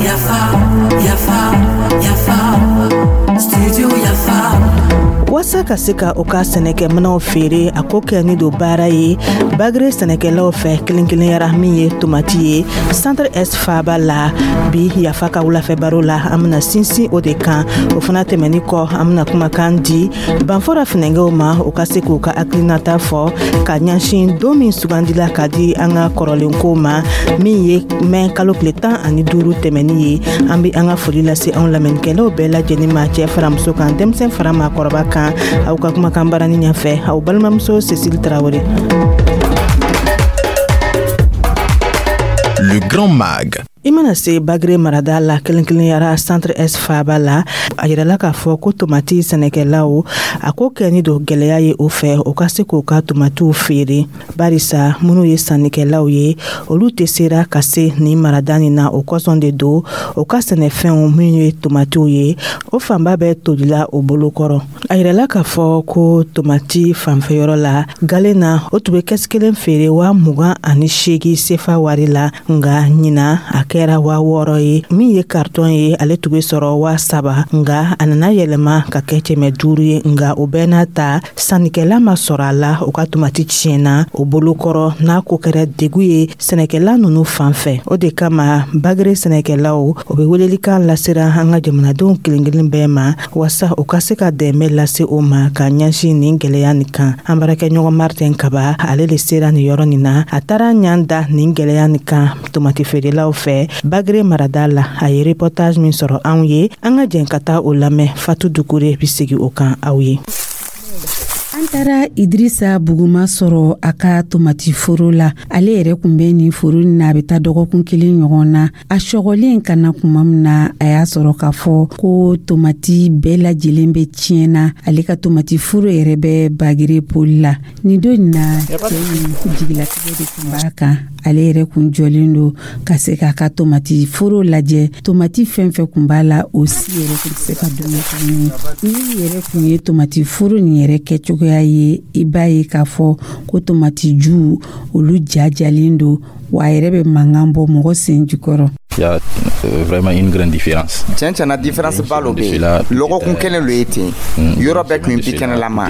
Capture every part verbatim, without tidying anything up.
Yafa, yafa, yafa, studio Yafa. Waasa ka se ka u ka sɛnɛkɛminɛw feere, a ko kɛni don baara ye Bagere sɛnɛkɛlaw fɛ, kelen kelenyara min ye tomati ye Centre Est faaba la. Bi Yafa ka wulafɛ baro la, an bena sinsin o de kan. O fana tɛmɛni kɔ, an bena kumakan di Banfora finɛngɛw ma, u ka se k'u ka hakilinata fɔ ka ɲɛsin don min sugandila ka di an ka kɔrɔlenko ma, min ye mɛn kalo tile tan ani duuru tɛmɛni ye. An be an ka foli lase anw lamɛnnikɛlaw bɛɛ lajɛlen ma, cɛɛ fara muso kan, denmisɛn fara maakɔrɔba kan. Aw ka kumakan barani ɲɛfɛ, aw balimamuso Cécile Tarawele. Le Grand Mag. I mana se Bagere marada la, kelen kelenyara Centre Est faaba la, a yirala k'a fɔ ko tomati sɛnɛkɛlaw, a ko kɛni don gwɛlɛya ye o fɛ, o ka se k'o ka tomatiw feere, barisa minnu ye sannikɛlaw ye, olu tɛ sera ka se nin marada nin na. O kosɔn de don, o ka sɛnɛfɛnw min ye tomatiw ye, o fanba bɛɛ tolila o bolokɔrɔ. A yirala k'a fɔ ko tomati fanfɛyɔrɔ la galen na, o tun bɛ kɛsi kelen feere waa mugan ani seegin sefa wari la, nga ɲina a kɛra waa wɔɔrɔ ye. Min ye karitɔn ye, ale tun bɛ sɔrɔ waa saba, nga a nana yɛlɛma ka kɛ kɛmɛ duuru ye. Nga o bɛɛ n'a ta, sannikɛla ma sɔrɔ a la, o ka tomati tiɲɛna o bolokɔrɔ. N'a ko kɛra degu ye sɛnɛkɛla nunu fan fɛ, o de kama Bagere sɛnɛkɛlaw, o bɛ welelikan lasera an ka jamanadenw kelen kelen bɛɛ ma, waasa u ka se ka dɛmɛ lase o ma ka ɲɛsin nin gwɛlɛya nin kan. An baarakɛɲɔgɔn Martin Kaba, ale le sera nin yɔrɔ nin na. A taara ɲan da nin gwɛlɛya nin kan tomati feerelaw fɛ Bagere marada la. A ye reportage min sɔrɔ anw ye, an ka jɛn ka taa o lamɛn. Fatu Dukure bi segi o kan aw ye. An taara Idirisa Buguma sɔrɔ a ka tomati foro la. Ale yɛrɛ kun bɛ nin foro nin na, a bɛ taa dɔgɔkun kelen ɲɔgɔn na. A sɔgɔlen ka na kuma min na, a y'a sɔrɔ k'a fɔ ko tomati bɛɛ lajɛlen bɛ tiɲɛ na. Ale ka tomati foro yɛrɛ bɛ Bagere poli la. Nin don in na, cɛ in jigilatigɛ de tun b'a kan. Ale yɛrɛ kun jɔlen don ka se k'a ka tomati foro lajɛ. Tomati fɛn fɛn kun b'a la, o si yɛrɛ kun tɛ se ka dun tuguni. Ni yɛrɛ kun ye tomati foro nin yɛrɛ kɛcogoya ye, i b'a ye k'a fɔ ko tomati ju olu jajalen don, wa a yɛrɛ bɛ mankan bɔ mɔgɔ sen jukɔrɔ. Il y a euh, vraiment une grande différence. Tiɲɛ tiɲɛna, différence ba lo bɛ yen. Lɔgɔkun kelen lo ye ten, yɔrɔ bɛɛ tun ye bikɛnɛlama,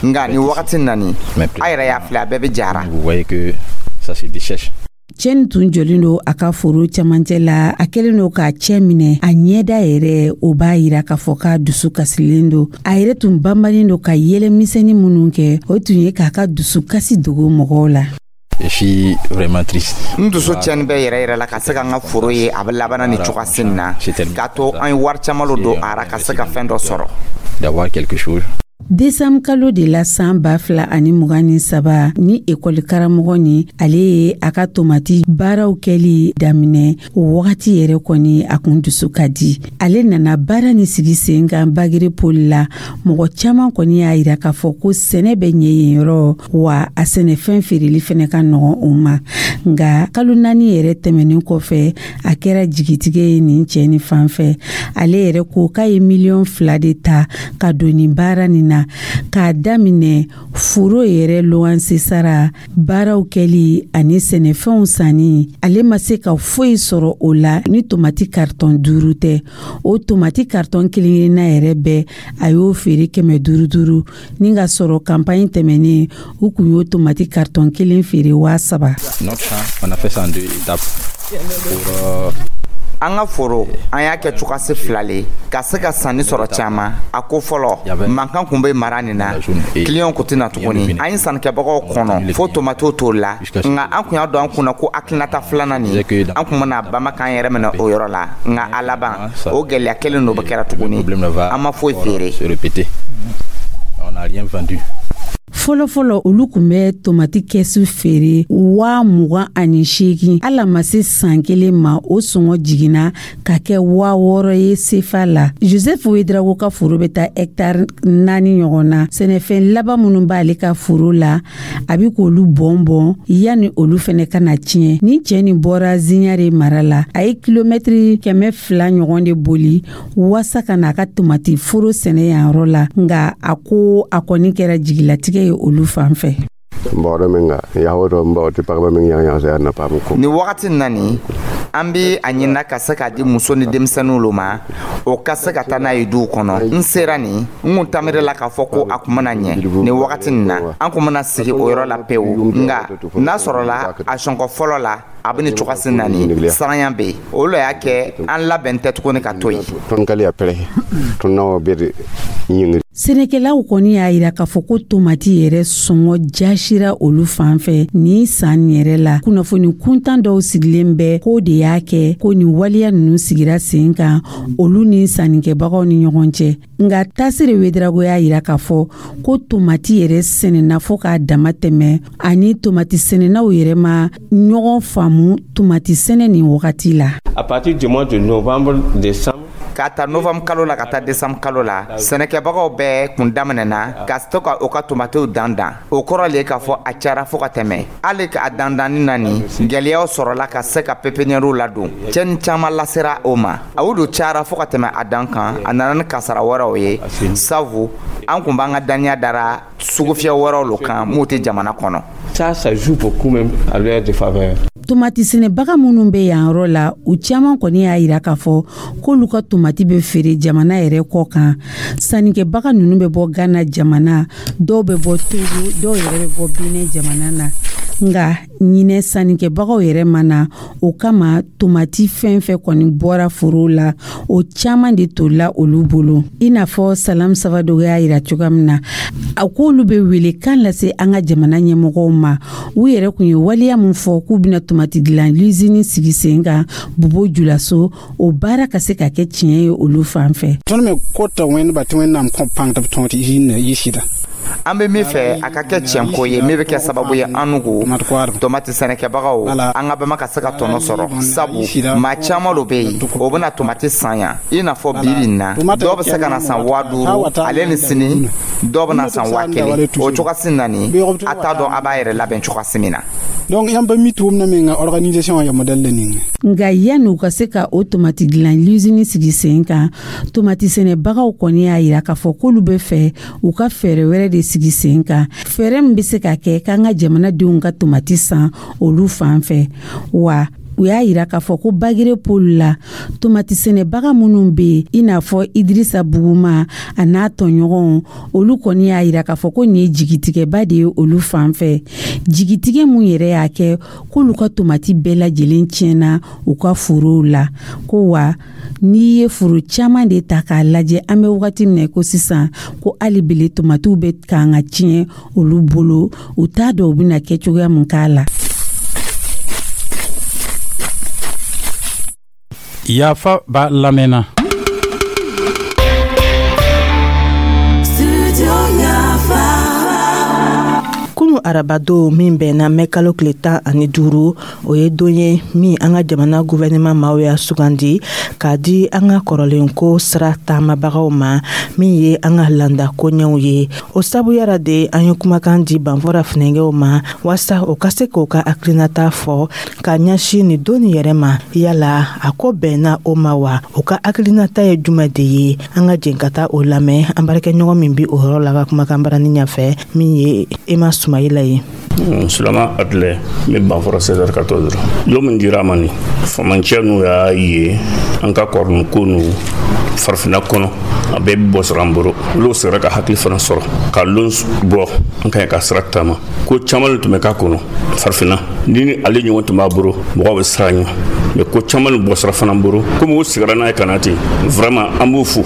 nka nin wagati nani, a yɛrɛ y'a filɛ, a bɛɛ bɛ jara. Vous voyez que ça se dessèche. Cɛ nin tun jɔlen don a ka foro camancɛ la. A kɛlen don k'a cɛ minɛ a ɲɛda yɛrɛ, o b'a yira k'a fɔ k'a dusu kasilen don. A yɛrɛ tun banbannen don ka yɛlɛ misɛnnin minnu kɛ, o tun ye k'a ka dusu kasi dogo mɔgɔw la. Je suis vraiment triste. N dusu tiɲɛni bɛ yɛrɛ yɛrɛ la ka se ka n ka foro ye a bɛ labanna ni cogoya nin na, k'a to an ye wari caman lo don a ra ka se ka fɛn dɔ sɔrɔ. D'avoir quelque chose. Desanburu kalo de la san ba fila ani mugan ni saba, ni ekɔli karamɔgɔ ni ale ye a ka tomati baaraw kɛli daminɛ. O wagati yɛrɛ kɔni, a kun dusu ka di. Ale nana baara ni sigi sen kan Bagere poli la. Mɔgɔ caaman kɔni y'a yira k'a fɔ ko sɛnɛ bɛ ɲɛ yen yɔrɔ, wa a sɛnɛfɛn feereli fɛnɛ ka nɔgɔn o ma. Nga kalo naani yɛrɛ tɛmɛnin kɔfɛ, a kɛra jigitigɛ ye nin cɛ ni fan fɛ. Ale yɛrɛ ko k'a ye miliyɔn fila de ta ka don nin baara nin na, k'a daminɛ foro yɛrɛ luwanse sara, baaraw kɛli ani sɛnɛfɛnw sanni. Ale ma se ka foyi sɔrɔ o la ni tomati karitɔn duuru tɛ. O tomati karitɔn kelen kelenna yɛrɛ bɛɛ, a y'o feere kɛmɛ duuru duuru, ni ka sɔrɔ kanpaɲi tɛmɛnen, u kun y'o tomati karitɔn kelen feere waa saba. Notre champ, on a fait ça en deux étapes. Pour, euh, An ka foro, an y'a kɛ cogoyasi fila le ka se ka sanni sɔrɔ caman. A ko fɔlɔ, mankan kun bɛ mara nin na, kiliyanw kun tɛna tuguni. An ye sannikɛbagaw kɔnɔ fo tomatiw t'o la. Nka an kun y'a dɔn an kunna ko hakilinata filanan nin, an kun bɛna bama k'an yɛrɛ minɛ o yɔrɔ la. Nka a laban, o gɛlɛya kelen dɔ bɛ kɛra tuguni, an ma foyi feere. Se répéter. On n'a rien vendu. Fɔlɔfɔlɔ, olu kun bɛ tomati kɛsu feere waa mugan ani seegin. Hali a ma se san kelen ma, o sɔngɔ jiginna ka kɛ waa wɔɔrɔ ye sefa la. Joseph Wedrago ka foro bɛ taa hɛktari naani ɲɔgɔn na. Sɛnɛfɛn laban minnu b'ale ka foro la, a bi k'olu bɔn bɔn yanni olu fɛnɛ ka na tiɲɛ. Ni cɛ nin bɔra Ziɲare mara la, a ye kilomɛtiri kɛmɛ fila ɲɔgɔn de boli waasa ka n'a ka tomati foro sɛnɛ yan yɔrɔ la. Nga a ko a kɔni kɛra jigilatigɛ ye olu fan fɛ. N baoodã menga yaa woto n bao tɩ pagba meng yãg yãgsa yaa na paam ko. Ni wagati na nin, an bɛ a ɲinina ka se k'a di muso ni denmisɛnninw lo ma, o ka se ka taa n'a ye duw kɔnɔ. N sera nin, n kun tamire la k'a fɔ ko a kun mana ɲɛ nin wagati nin na, an kun mana sigi o yɔrɔ la pewu. Nka n'a sɔrɔla a sɔnkɔ fɔlɔ la, a bɛ nin cogosi na nin saranya bɛ yen, o lo y'a kɛ an labɛn tɛ tuguni ka to yen. Tõnd ka le ya pɛrɛ tõnd na wa bed yĩngri. Sɛnɛkɛlaw kɔni y'a yira k'a fɔ ko tomati yɛrɛ sɔngɔ jasira olu fan fɛ ni san yɛrɛ la. Kunnafoni kuntan dɔw sigilen bɛ k'o de y'a kɛ ko nin waleya nunu sigira sen kan olu ni sannikɛbagaw ni ɲɔgɔn cɛ. Nka Tasire Wedarago y'a yira k'a fɔ ko tomati yɛrɛ sɛnɛna fɔɔ k'a dama tɛmɛ, ani tomati sɛnɛnaw yɛrɛ ma ɲɔgɔn faamu tomati sɛnɛ nin wagati la. À partir du mois de novembre, décembre, K'a ta novembre kalo la ka taa décembre kalo la, sɛnɛkɛbagaw bɛɛ kun daminɛna ka to ka u ka tomatiw dan dan. O kɔrɔ le k'a fɔ a cayara fo ka tɛmɛ. Hali a dandanni na nin, gwɛlɛyaw sɔrɔla ka se ka pépinièrew ladon. Cɛni caman lasera o ma. A olu cayara fo ka tɛmɛ a dan kan, a nana ni kasara wɛrɛw ye, sabu an kun b'an ka daniya dara sugufiyɛ wɛrɛw lo kan m'u tɛ jamana kɔnɔ. Ça, ça joue beaucoup même à leur défaveur. Tomati sɛnɛbaga minnu bɛ yan yɔrɔ la, u caman kɔni y'a yira k'a fɔ k'olu ka tomati bɛ feere jamana yɛrɛ kɔ kan. Sannikɛbaga ninnu bɛ bɔ Gana jamana, dɔw bɛ bɔ Togo, dɔw yɛrɛ bɛ bɔ Benin jamana na. Nka ɲinɛ sannikɛbagaw yɛrɛ ma na, o kama tomati fɛn fɛn kɔni bɔra foro la, o caman de tolila olu bolo. I n'a fɔ Salam Sabadogo y'a yira cogoya min na, a k'olu bɛ wele kan lase an ka jamana ɲɛmɔgɔw ma. U yɛrɛ kun ye waleya min fɔ k'u bɛna tomati dilan lizini sigi sen kan Bobo Julaso, o baara ka se ka kɛ tiɲɛ ye olu fan fɛ. Tõnd me kota wẽndba tɩ Wẽnnaam kõ pãng tɩ b tõog tɩ yɩ sɩda. An bɛ min fɛ, a ka kɛ tiɲɛko ye min bɛ kɛ sababu ye an nugu tomati sɛnɛkɛbagaw, an ka bama ka se ka tɔnɔ sɔrɔ, sabu maa caman lo bɛ yen, o bɛna tomati san yan. I n'a fɔ bi bi in na, dɔw bɛ se ka na san waa duuru, ale ni sini dɔw bɛna san waa kelen. O cogosi na nin, a t'a dɔn a b'a yɛrɛ labɛn cogosi min na. Donc yãmb pa mi tʋʋmdã menga organisation ya modɛl la ninga. Nka yanni u ka se ka o tomati dilan lizini sigi sen kan, tomati sɛnɛbagaw kɔni y'a yira k'a fɔ k'olu bɛ fɛ u ka fɛɛrɛ wɛrɛ de sigi sen kan, fɛɛrɛ min bɛ se ka kɛ k'an ka jamanadenw ka tomati san olu fan fɛ. Wa u y'a yira k'a fɔ ko Bagere pôle la, tomati sɛnɛbaga minnu bɛ yen, i n'a fɔ Idirisa Buguma a n'a tɔɲɔgɔnw, olu kɔni y'a yira k'a fɔ ko nin ye jigitigɛba de ye olu fan fɛ, jigitigɛ mun yɛrɛ y'a kɛ k'olu ka tomati bɛɛ lajɛlen tiɲɛna u ka forow la. Ko wa n'i ye foro caman de ta k'a lajɛ, an bɛ wagati min na ko sisan, ko hali bele tomatiw bɛ kan ka tiɲɛ olu bolo, u t'a dɔn u bɛna kɛ cogoya mun k'a la. Yafa b'a lamɛnna. Studio Yafa. Kunu arabado min bɛnna mɛ kalo tile tan ani duuru, o ye don ye min an ka jamana guvɛnɛman maaw y'a sugandi k'a di an ka kɔrɔlenko sira taamabagaw ma, min ye an ka landa koɲɛw ye. O sabuyara de, an ye kumakan di Banfɔra funɛgɛw ma waasa o ka se k'o ka hakilinata fɔ ka ɲɛsin nin don nin yɛrɛ ma. Yala a ko bɛnna o ma wa? O ka hakilinata ye jumɛn de ye? An ka jɛn ka taa o lamɛn an baarakɛɲɔgɔn min bi o yɔrɔ la ka kumakan barani ɲɛfɛ, min ye Ema Sumayila ye. Sulama Atilɛ, n bɛ Banfɔrɔ seize quatorze. Don min dira a ma nin, famancɛ n'u y'a ye an ka kɔrɔnin ko n'u farafinna kɔnɔ, a bɛɛ bɛ bɔ sɔrɔ an bolo. Olu sera ka hakili fana sɔrɔ ka lon bɔ an ka ɲi ka sira taama. Ko caman de tun bɛ k'a kɔnɔ farafinna ni ni ale ɲɔgɔn tun b'a bolo, mɔgɔw bɛ siran ɲɛ. Mais ko caman de bɔ sira fana bolo, komi u sigira n'a ye ka na ten, vraiment an b'u fo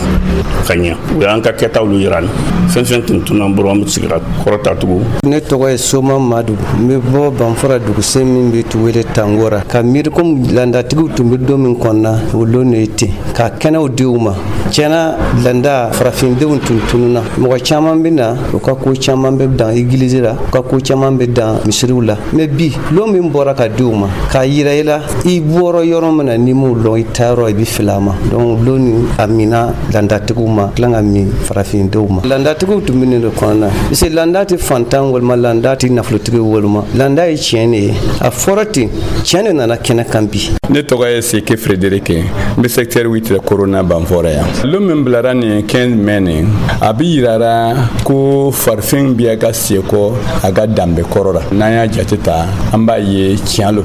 ka ɲɛ. U y'an ka kɛtaw yira an fɛn fɛn tun tun an bolo, an bɛ sigira kɔrɔ ta tugun. Ne tɔgɔ ye Soma Madu, n bɛ bɔ Banfɔra dugusen min bɛ tu wele Tangora. Ka miiri komi landatigiw tun bɛ don min kɔnɔna, o lon de ye ten ka kɛnɛw di u ma. Tiɲɛna, landa farafindenw tun tununa. Mɔgɔ caman bɛ na, u ka ko caman bɛ dan egilizi la, u ka ko caman bɛ dan misiriw la. Mais bi, lon min bɔra ka di u ma k'a yira i la i bɔra yɔrɔ min na, n'i m'o lɔn, i taayɔrɔ i bɛ fili a ma. Donc lon nin a mina landatigiw ma, tila ka min farafindenw ma. Landa Landatigiw tun bɛ nin de kɔnɔna, parce que landa tɛ fantan walima landa tɛ nafolotigi walima landa ye tiɲɛ de ye. A fɔra ten, tiɲɛ de nana kɛnɛ kan bi. Ne tɔgɔ ye Seke Frédéric, n bɛ secteur huit Corona Banfɔrɔ yan. Lon min bilara nin quinze mai nin, a bi yirara ko farafin bɛ ka sekɔ a ka danbe kɔrɔ la. N'an y'a jate ta, an b'a ye tiɲɛ lo.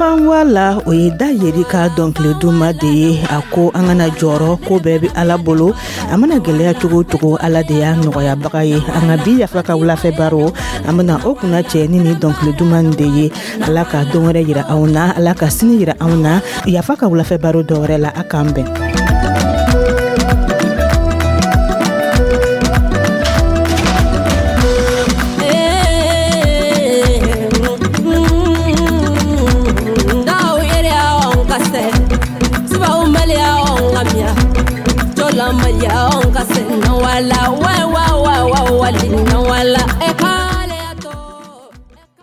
Fanwa la, o ye da yeri ka dɔnkili duman de ye. A ko an kana jɔrɔ, ko bɛɛ bɛ Ala bolo. A mana gɛlɛya cogo o cogo, Ala de y'a nɔgɔyabaga ye. An ka bi Yafa ka wulafɛ baro, an bɛna o kunna cɛ ni nin dɔnkili duman de ye. Ala ka don wɛrɛ yira anw na, Ala ka sini yira anw na. Yafa ka wulafɛ baro dɔ wɛrɛ la, a k'an bɛn. Wala wa wa wa wa wa wala eh.